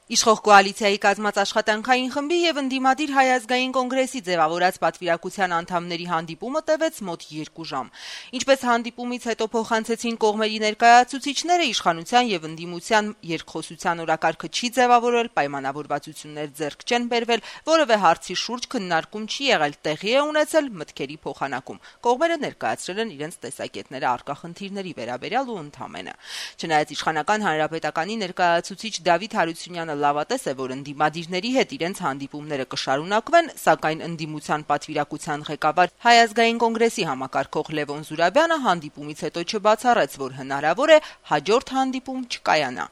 Իշխող կոալիցիայի կազմած աշխատանքային խմբի եւ ընդդիմադիր Հայ ազգային կոնգրեսի ձևավորած պատվիրակության անդամների հանդիպումը տևեց մոտ 2 ժամ։ Ինչպես հանդիպումից հետո փոխանցեցին կողմերի ներկայացուցիչները, իշխանության եւ ընդդիմության երկխոսության օրակարգը չի ձևավորել, պայմանավորվածություններ ձեռք չեն բերվել, որևէ հարցի շուրջ քննարկում չի եղել, տեղի է ունեցել մտքերի փոխանակում։ Կողմերը ներկայացրել են իրենց տեսակետները առկա խնդիրների վերաբերյալ ու ընդհանրապես։ Չնայած իշխանական հանրապետականի ներկայացուցիչ Դավիթ Հարությունյանը լավատես է, որ ընդդիմադիրների հետ իրենց հանդիպումները կշարունակվեն, սակայն ընդդիմության պատվիրակության ղեկավար Հայ ազգային կոնգրեսի համակարգող Լևոն Զուրաբյանը հանդիպումից հետո չբացառեց, որ հնարավոր է հաջորդ հանդիպում չկայանա։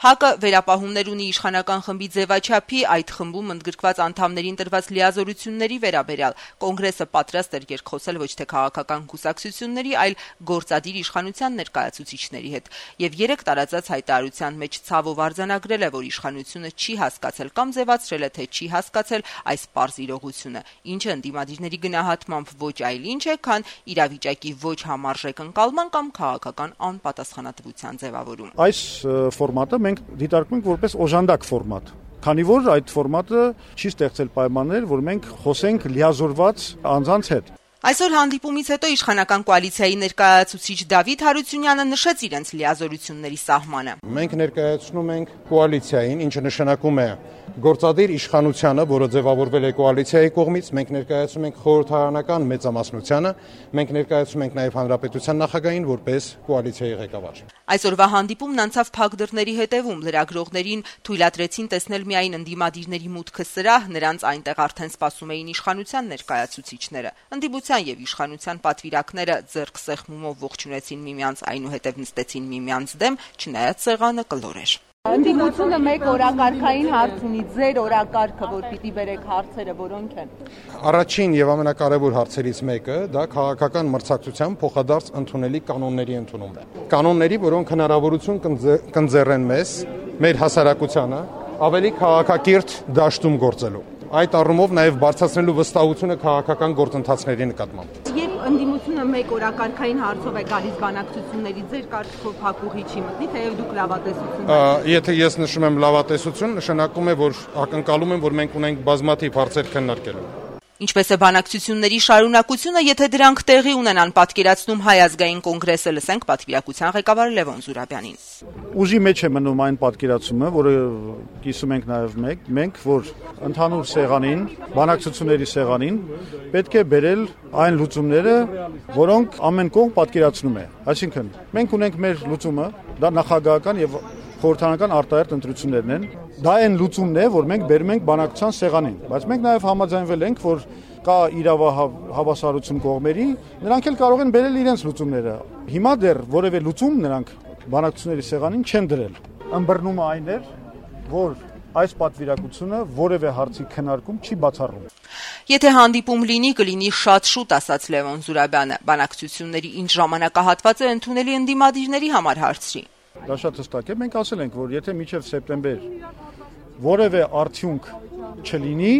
ՀԱԿ-ը վերապահումներ ունի իշխանական խմբի ձևաչափի, այդ խմբում ընդգրկված անդամներին տրված լիազորությունների վերաբերյալ։ Կոնգրեսը պատրաստ էր երկխոսել ոչ թե քաղաքական կուսակցությունների, այլ գործադիր իշխանության ներկայացուցիչների հետ։ Եվ 3 տարածած հայտարարության մեջ ցավով արձանագրել է, որ իշխանությունը չի հասկացել կամ ձևացրել է, թե չի հասկացել այս պարզ իրողությունը, ինչը ընդդիմադիրների գնահատմամբ ոչ այլ ինչ է, քան իրավիճակի ոչ համարժեք ընկալման կամ քաղաքական անպատասխանատվության ձևավորում։ Այս ֆորմատը մենք դիտարկում ենք որպես օժանդակ ֆորմատ, քանի որ այդ ֆորմատը չի ստեղծել պայմաններ, որ մենք խոսենք լիազորված անձանց հետ։ Այսօր հանդիպումից հետո իշխանական կոալիցիայի ներկայացուցիչ Դավիթ Հարությունյանը նշեց իրենց լիազորությունների սահմանը։ Մենք ներկայացնում ենք կոալիցիային, ինչը նշանակում է գործադիր իշխանությանը, որը ձևավորվել է կոալիցիայի կողմից, մենք ներկայացնում ենք խորհրդարանական մեծամասնությանը, մենք ներկայացնում ենք նաև հանրապետության նախագահին որպես կոալիցիայի ղեկավար։ Այսօրվա հանդիպումն անցավ փակ դռների հետևում, լրագրողներին թույլատրեցին տեսնել միայն ընդդիմադիրների մուտքը սրահ, նրանց այնտեղ արդեն սպասում էին իշխանության ներկայացուցիչները։ Ընդդիմության եւ իշխանության պատվիրակները ձեռք սեղմումով ողջունեցին միմյանց, այնուհետև նստեցին միմյանց դեմ, չնայած սեղանը կլոր էր։ Ընդդիմությունը մեկ օրակարգային հարց ունի, ձեր օրակարգը, որ պիտի բերեք հարցերը, որոնք են։ Առաջին եւ ամենակարևոր հարցերից մեկը դա քաղաքական մրցակցության փոխադարձ ընդունելի կանոնների ընդունումն է։ Կանոնների, որոնք հնարավորություն կընձեռեն մեզ, մեր հասարակությանը ավելի քաղաքակիրթ դաշտում գործելու։ Այդ առումով նաև բարձրացնելու վստահությունը քաղաքական գործընթացների նկատմամբ։ Երբ ընդդիմությունը մեկ օրակարգային հարցով է գալիս բանակցությունների, ձեր կարծիքով փակուղի չի մտնի, թեև դուք լավատեսություն եք։ Եթե ես նշում եմ լավատեսություն, նշանակում է, որ ակնկալում եմ, որ մենք ունենք բազմաթիվ հարցեր քննարկելու։ Ինչպես է բանակցությունների շարունակությունը, եթե դրանք տեղի ունենան, պատկերացնում Հայ ազգային կոնգրեսը, լսենք պատվիրակության ղեկավար Լևոն Զուրաբյանին։ Ուժի մեջ է մնում այն պատկերացումը, որը կիսում ենք նաև մենք, որ ընդհանուր սեղանին, բանակցությունների սեղանին պետք է բերել այն լուծումները, որոնք ամեն կողմ պատկերացնում է։ Այսինքն, մենք ունենք մեր լուծումը, դա նախագահական եւ խորհրդարանական արտահերթ ընտրություններն են։ Դա այն լուծումն է, որ մենք բերում ենք բանակցության սեղանին, բայց մենք նաև համաձայնվել ենք, որ կա իրավահավասարություն կողմերի, նրանք էլ կարող են բերել իրենց լուծումները։ Հիմա դեռ որևէ լուծում նրանք բանակցությունների սեղանին չեն դրել։ Ըմբռնումը այն էր, որ այս պատվիրակությունը որևէ հարցի քննարկում չի բացառում։ Եթե հանդիպում լինի, կլինի շատ շուտ, ասաց Լևոն Զուրաբյանը։ Բանակցությունների ինչ ժամանակահատված է ընդունելի ընդդիմադիրների համար հարցրի։ Դա շատ հստակ է, մենք ասել ենք, որ եթե մինչև սեպտեմբեր որևէ արդյունք չլինի,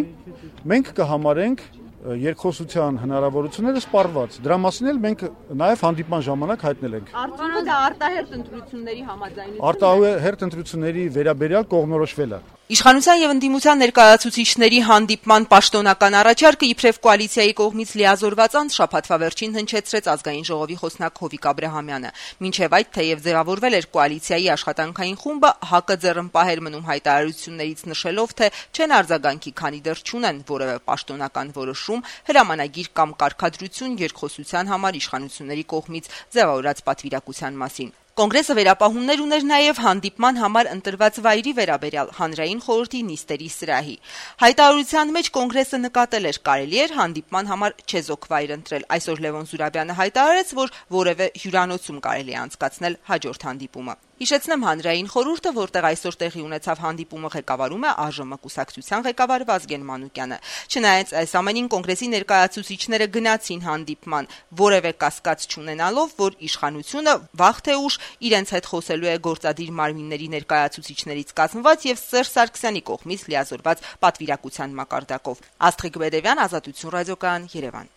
մենք կհամարենք երկխոսության հնարավորությունները սպառված։ Դրա մասին էլ մենք նաև հանդիպման ժամանակ հայտնել ենք։ Արդյունքը դա արտահերթ ընտրությունների համաձայնություն է։ Արտահերթ ընտրությունների վերաբերյալ կողմնորոշվել է։ Իշխանության եւ ընդդիմության ներկայացուցիչների հանդիպման պաշտոնական առաջարկը իբրև կոալիցիայի կողմից լիազորված անց շաբաթվա վերջին հնչեցրեց ազգային ժողովի խոսնակ Հովիկ Աբրահամյանը։ Մինչև այդ թեև ձևավորվել էր կոալիցիայի աշխատանքային խումբը, ՀԱԿ-ը ձեռնպահ էր մնում հայտարարություններից նշելով, թե չեն արձագանքի, քանի դեռ չունեն որևէ պաշտոնական որոշում, հրամանագիր կամ կարգադրություն երկխոսության համար իշխանությունների կողմից ձևավորած պատվիրակության մասին։ Կոնգրեսը վերապահումներ ուներ նաև հանդիպման համար ընտրված վայրի վերաբերյալ հանրային խորհրդի նիստերի սրահի։ Հայտարարության մեջ կոնգրեսը նկատել էր, կարելի էր հանդիպման համար չեզոք վայր ընտրել։ Այսօր Լևոն Զուրաբյանը հայտարարեց, որ որևէ հյուրանոցում կարելի է անցկացնել հաջորդ հանդիպումը։ Հիշեցնեմ, հանրային խորհուրդը, որտեղ այսօր տեղի ունեցավ հանդիպումը, ղեկավարում է ԱԺՄ կուսակցության ղեկավար Վազգեն Մանուկյանը։ Չնայած այս ամենին կոնգրեսի ներկայացուցիչները գնացին հանդիպման, որևէ կասկած չունենալով, որ իշխանությունը վաղ թե ուշ իրենց հետ խոսելու է գործադիր մարմինների ներկայացուցիչներից կազմված եւ Սերժ Սարգսյանի կողմից լիազորված պատվիրակության մակարդակով։ Աստղիկ Բեդևյան, Ազատություն ռադիոկայան, Երևան։